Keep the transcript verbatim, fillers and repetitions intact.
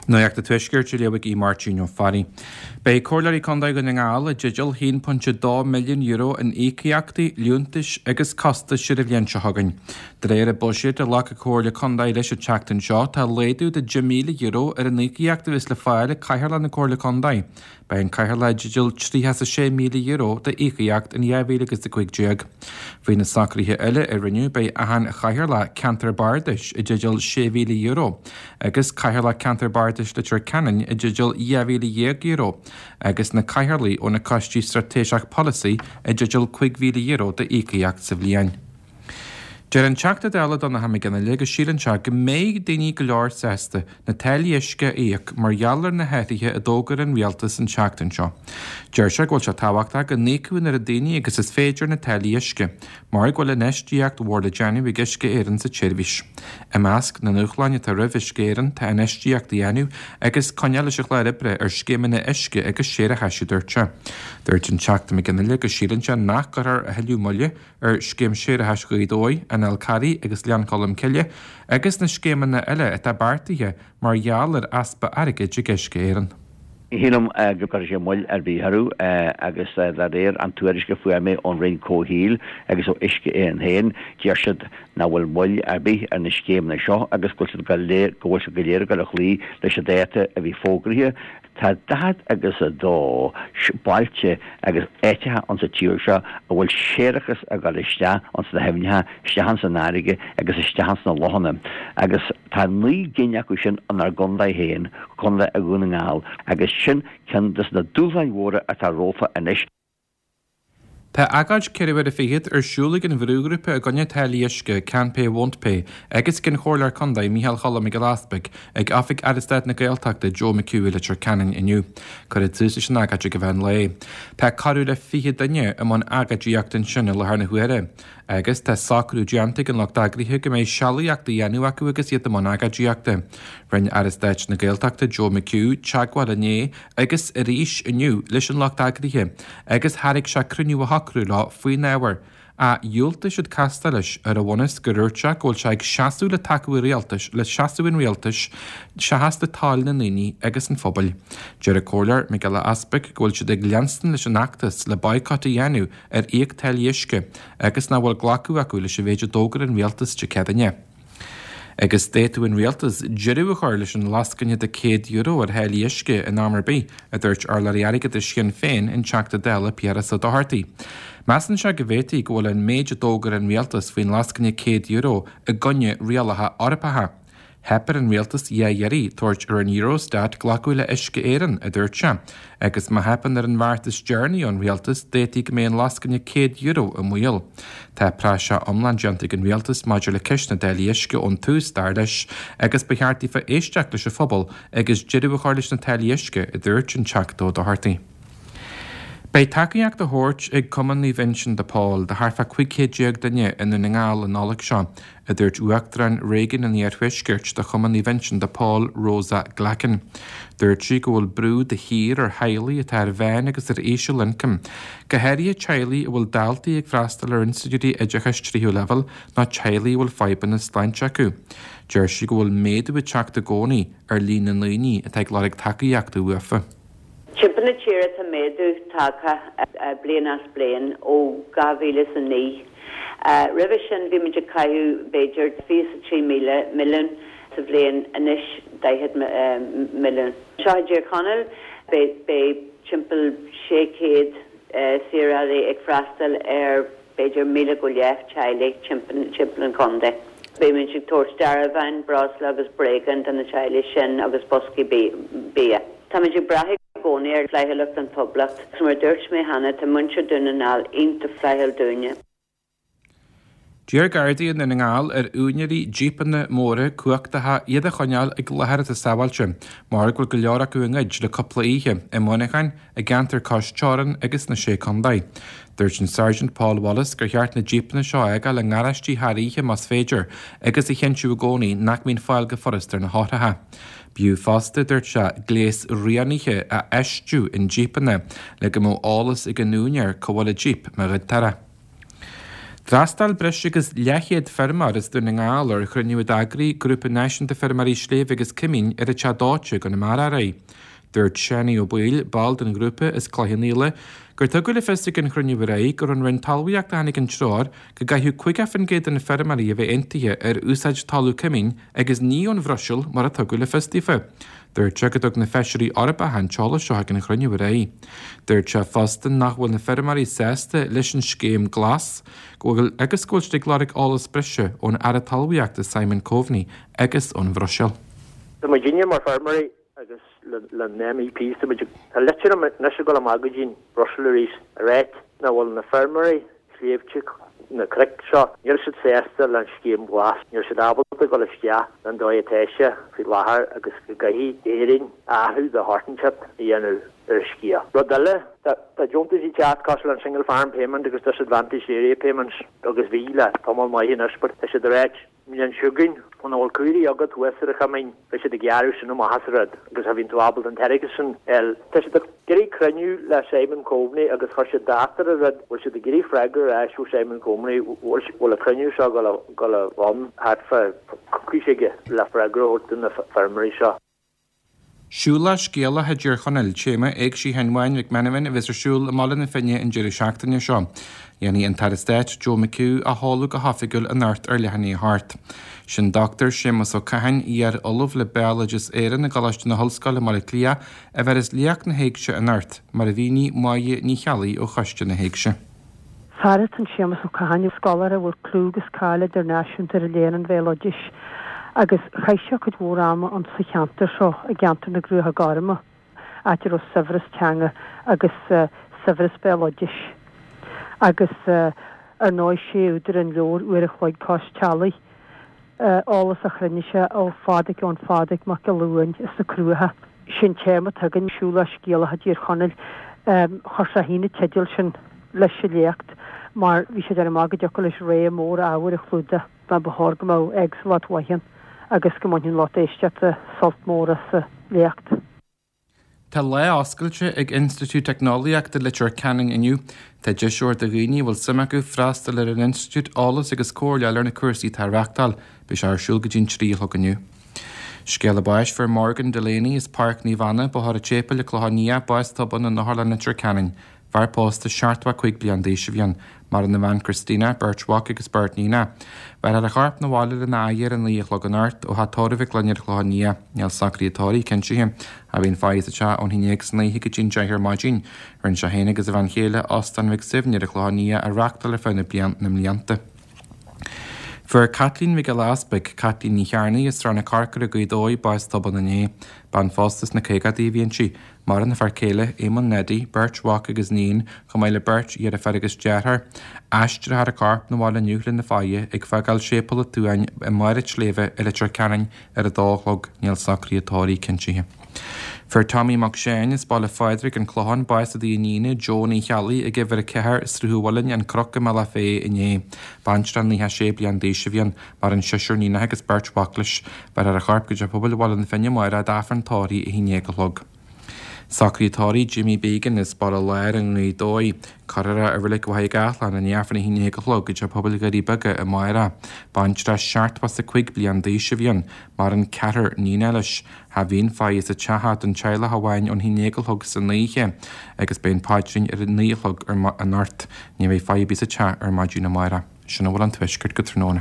Nuacht an Tuaiscirt á léamh ag Máirtín Ó Fearraigh. Beidh Comhairleoirí Contae Dhún na nGall i dteideal haon pointe dó milliún euro in íocaíochtaí, liúntais agus costais ar an bhliain seo chugainn. De réir an buiséid a ghlac an Comhairle Contae leis an tseachtain seo, tá laghdú de deich míle euro ar an íocaíocht a bheas le fáil ag Cathaoirleach na Comhairle Contae. Beidh an Cathaoirleach i dteideal tríocha is a sé míle euro d'íocaíocht in dhá mhíle agus a cúig déag. Faoi na socruithe eile a rinneadh, beidh achan Chathaoirleach Ceantar Bardais i dteideal sé mhíle euro agus Cathaoirleach Ceantar Bardais Leitir Ceanainn i dteideal dhá mhíle dhéag euro agus na Cathaoirligh ó na Coistí Straitéiseach Polasaí i dteideal cúig mhíle euro d'íocaíocht sa bhliain. Deir an Teachta Dála Donncha Mac Fhionnghaile go síleann sé go mbeidh daoine go leor sásta na táillí uisce a íoc mar gheall ar na hathruithe a d'fhógair an rialtas an tseachtain seo. Deir sé go bhfuil sé tábhachtach go n-íocfadh an oiread daoine agus is féidir na táillí uisce, mar go bhfuil infheistíocht mhór le déanamh ag Uisce Éireann sa tseirbhís. I measc na ndúshláin atá roimh Uisce Éireann tá infheistíocht a dhéanamh agus coinneáil leis an chlár oibre ar scéimeanna uisce agus séarachais, a dúirt sé. Dúirt an Teachta Mac Fhionnghaile go síleann sé nach gcuirfear a thuilleadh moille ar scéim séarachais Ghaoth Dobhair, an Fhál Carraigh agus Ghleann Cholm Cille agus na scéimeanna eile atá beartaithe mar gheall ar easpa airgid ag Uisce Éireann. Ní shílim go gcuirfidh sé moill ar bith orthu agus de réir an tuairisc a fuair mé ón Roinn Comhshaoil agus ó Uisce Éireann féin, deir siad nach bhfuil moill ar bith ar na scéimeanna seo agus go bhfuil siad go léir go bhfuil siad go léir ag dul a chloí leis an dáta a bhí fógraithe. Tá daichead agus a dó bailte agus áiteacha ann sa tír seo a bhfuil séarachas ag dul isteach ins na haibhneacha, isteach ins an fharraige agus isteach ins na lochanna agus tá naoi gcinn acu sin inár gcontae féin, Contae Dhún na nGall, agus sin ceann des na dúshláin mhóra atá rompu anois. Tá agóid ceithre uaire fichead ar siúl ag an bhrúghrúpa i gcoinne táillí uisce, Can Pay Won't Pay, agus ag an Chomhairleoir Contae Micheál Choilm Mac Giolla Easpaig ag Oifig Aire Stáit na Gaeltachta Joe McHugh i Leitir Ceanainn inniu. Cuireadh tús leis an agóid ag an mheán lae. Tá corradh le fiche duine i mbun agóidíochta ansin i láthair na huaire. Agus tá socrú déanta ag an lucht eagraithe go mbeidh sealaíocht á dhéanamh acu agus iad i mbun agóidíochta. Rinne Aire Stáit na Gaeltachta Joe McHugh teagmháil inné agus arís inniu leis an lucht eagraithe agus thairg sé cruinniú a shocrú leo faoin ábhar, ach dhiúltaigh siad castáil leis ar an bhunús gur dhúirt sé go bhfuil sé ag seasamh le tacú an rialtais le seasamh an rialtais seachas le toil na ndaoine agus an phobail. Deir an Comhairleoir Mac Giolla Easpaig go bhfuil siad ag leanstan leis an fheachtas le baghcat a dhéanamh ar íoc táillí uisce agus nach bhfuil glacadh acu leis an mhéid a d'fhógair an rialtas Dé Céadaoine. Agus d'fhéadfadh an rialtas deireadh a chur leis an lascaine de céad euro ar tháillí uisce in am ar bith, a dúirt urlabhraí airgeadais Shinn Féin, an Teachta Dála Piaras Ó Dochartaigh. Measann sé go bhféadfaí go bhfuil an méid a d'fhógair an rialtas faoin lascaine céad euro i gcoinne rialacha Eorpacha. Theip ar an rialtas dhá iarraidh tabhairt ar an Eurostat glacadh le Uisce Éireann, a dúirt sé, agus má theipeann ar an bheartas deireanaí ón rialtas d'fhéadfaí go mbeidh an lascaine céad euro i mbaol. Tá praiseach iomlán déanta ag an rialtas maidir le ceist na dtáillí uisce ón tús, dar leis, agus ba cheart daofa éisteacht leis an phobal agus deireadh a chur leis na táillí uisce, a dúirt an Teachta Ó Dochartaigh. Beidh tacaíocht á thabhairt ag Cumann Naomh Uinseann de Pól do thart fá cúig chéad déag duine i nDún na nGall an Nollaig seo, a dúirt Uachtarán Réigiún an Iarthuaiscirt de Chumann Naomh Uinseann de Pól, Rosa Glackin. Dúirt sí go bhfuil brú de shíor ar theaghlaigh atá ar mheán agus ar íseal-ioncam, go háirithe teaghlaigh a bhfuil daltaí ag freastal ar institiúidí oideachais tríú leibhéal nó teaghlaigh a bhfuil fadhbanna sláinte acu. Deir sí go bhfuil méadú ag teacht i gcónaí ar líon na ndaoine atá ag lorg tacaíochta uafa. Timpeall na tíre tá méadú tagtha bliain as bliain ó dhá mhíle is a naoi. Roimhe sin bhí muid ag caitheamh b'fhéidir fiche is a trí míle milliún sa bhliain, anois daichead milliún. Anseo i dTír Chonaill beidh timpeall sé chéad saorálaí ag freastal ar b'fhéidir míle go leith teaghlaigh timpeall an chontae. Beimid ag tabhairt dearbháin, breosla agus bréagáin do na teaghlaigh sin agus boscaí bia. Táimid ag brath i gcónaí ar fhlaithiúlacht an phobail agus mar a dúirt mé cheana tá muintir Dhún na nGall iontach flaithiúil dúinne. D'iarr Gardaí i nDún na nGall ar úinéirí jípeanna móra cumhachtacha iad a choinneáil ag láthair atá sábháilte, mar go bhfuil go leor acu á ngoid le cúpla oíche, i Muineachán, i gceantar cois teorann agus sna Sé Contae. Dúirt an Sergeant Paul Wallace gur cheart na jípeanna seo a fhágáil i ngaráistí thar oíche más féidir agus a chinntiú i gcónaí nach mbíonn fáil go furast ar na heochracha. B'fhiú fosta, dúirt sé, gléas rianaithe a fheistiú i njípeanna le go mbeadh eolas ag an úinéir cá bhfuil a jíp má ghoidtear é. D'fhreastail breis agus leathchéad feirmeoir as Dún na nGall ar chruinniú a d'eagraigh Grúpa Náisiúnta Feirmeoirí Sléibhe agus Coimín ar an Teach Dóite i gConamara aréir. Dúirt Seánie Ó Baoill, ball den ghrúpa as Cloich Cheann Fhaola, gur tugadh le fios ag an chruinniú aréir gur ón Roinn Talmhaíochta a tháinig an treoir go gcaithfeadh caoga faoin gcéad de na feirmeoirí a bheith aontaithe ar úsáid talamh coimín agus ní ón Bhruiséil mar a tugadh le fios daofa. Dúirt sé go dtug na feisirí Eorpacha an t-eolas seo ag an chruinniú aréir. Dúirt sé fosta nach bhfuil na feirmeoirí sásta leis an scéim glas go bhfuil agus go bhfuil siad ag lorg eolas breise ón Aire Talmhaíochta Simon Coveney agus ón Bhruiséil. Tá muidinne mar feirmeoirí agus le na MEPs tá tá litir anois ag dul amach go dtí Brussels arís a rá nach bhfuil na feirmeoirí sléibhte na cnoic seo níl siad sásta le an scéim glas níl siad ábalta dul isteach an dóigh atá sé faoi láthair agus go gcaithfidh Éirinn athrú de shórt inteacht a dhéanamh ar an scéal. Rud eile tá deontais ag teacht cosúil an single farm payment agus disadvantaged area payments agus bhí le tamall maith anois but tá siad ag ráit an siúgain an bhfuil caoirigh agat thuas ar an choimín beidh siad ag gearradh sin amach as an rud agus a bhíonn tú ábalta an t-airgead sin el. Tá siad ag iarraidh cruinniú le Simon Coveney agus chuir siad dáta ar an rud bhfuil siad ag iarraidh freagra ar ais ó Simon Coveney bhfuil an cruinniú seo go le bhun thart fá coicís aige le freagra a thabhairt do na feirmeoirí seo. Siúlach Scéalach i dTír Chonaill, téama Éigse Sheáin Bháin Mhic Meanman a bheas ar siúl i mBaile na Finne an deireadh seachtaine seo. Dhéanfaidh an tAire Stáit Joe McHugh a sheoladh go hoifigiúil anocht ar leath i ndiaidh a hocht. Sin Dr Séamus Ó Catháin, iar-ollamh le Béaloideas Éireann i gColáiste na hOllscoile i mBaile Átha Cliath, a bheir léacht na héigse anocht, mar a mhínigh Máire Ní Cheallaigh ó Choiste na hÉigse. Fear atá in Séamus Ó Catháin, scoláire a bhfuil clú agus cáil idirnáisiúnta ar léann an bhéaloidis agus chaith sé cuid mhór ama an sa cheantar seo i gceantar na gCruacha Gorma, áit a raibh saibhreas teanga agus uh, saibhreas béaloidis. Agus uh, ar ndóigh sé údar an leabhair Uair a Chloig Cois Teallaigh, uh, eolas a chruinnigh sé ó Phádraic ón Phádraic Mac Luain is na Cruacha. Sin téama tugann Siúlach Scéalach i dTír Chonaill um, chuir sé féin an teideal sin leis an léacht mar bhí sé ar amach go dtiocfadh leis réim mór ábhair a chlúdach mar ba chóir go mbeadh éagsúlacht mhaith agus go mbainfeadh lucht éisteachta sult mór as an léacht. Tá lá oscailte ag Institiúid Teicneolaíochta Leitir Ceanainn inniu, Tá deis do dhaoine bhfuil suim acu freastal ar an institiúid eolas agus comhairle ar na cúrsaí atá á reáchtáil, beidh sé ar siúl go dtí an trí a chlog inniu. Scéala báis fuair Morgan Delaney as Páirc Naomh Anna Bóthar an tSéipéil Clochán Liath bás tobann in Otharlann Leitir Ceanainn. Fear pósta seachtó cúig bliain d'aois a bhí ann, maireann a bhean Christina, beirt mhac agus beirt níon. Bhéarfar a chorp 'na bhaile lena adhradh ar a naoi a chlog anocht ó theach tórraimh Mhic Gloinn ar Chlochán Liath, níl socruithe tórraimh cinntithe, a bhíonn faire sa teach ón haon déag san oíche go dtí an deich ar maidin. Rinne sé féin agus a bhean chéile Óstán Mhic Suibhne ar Chlochán Liath a reáchtáil ar feadh na blian na mblianta. Fuair Caitlín Mhic Giolla Easpaig, Caitlín Ní Chearnaigh as Srath na Corcra Gaoth Dobhair bás tobann inné, bean phósta sna caogaidí a bhí inti, maireann a fear céile, Éamonn Neddy, beirt mhac agus níon, chomh maith le beirt dheirfiúr agus deartháir. Aistreofar a corp 'na bhaile inniu lena faire ag fágáil Séipéal an tSuain i mBarr an tSléibhe i Leitir Ceanainn ar a dó a chlog, níl socruithe tórraimh cinntithe. Fuair Tommy Mac Seáin as Baile Phádraig an Clochán bás i dtigh a iníne Joe Ní Cheallaigh ag uimhir a ceathair Sruth an Mhuilinn an Cnoc i mBealach Féich inné. Baintreach nócha sé bliain d'aois a bhí ann, maireann seisear níonacha agus beirt mhac leis, bhéarfar a chorp go dtí pobail Bhaile na Finne amárach d'Aifreann tórraimh a haon déag a chlog. Socruithe tórraimh Jimmy Began as Baile Láir i nGaoth Dobhair, Cuirfear i Reilig Mhachaire Gathlán i ndiaidh Aifreann a haon déag a chlog go dtí pobail Dhoirí Beaga amárach. Baintreach seachtó is a cúig bliain d'aois a bhí ann, maireann ceathrar níonacha leis, Cha bhíonn faire sa teach don teaghlach amháin ón haon déag a chlog san oíche, agus beidh an paidrín ar a naoi a chlog anocht. Ní bheidh faire ar bith sa teach ar maidin amárach. Sin a bhfuil ón tuaisceart go tráthnóna.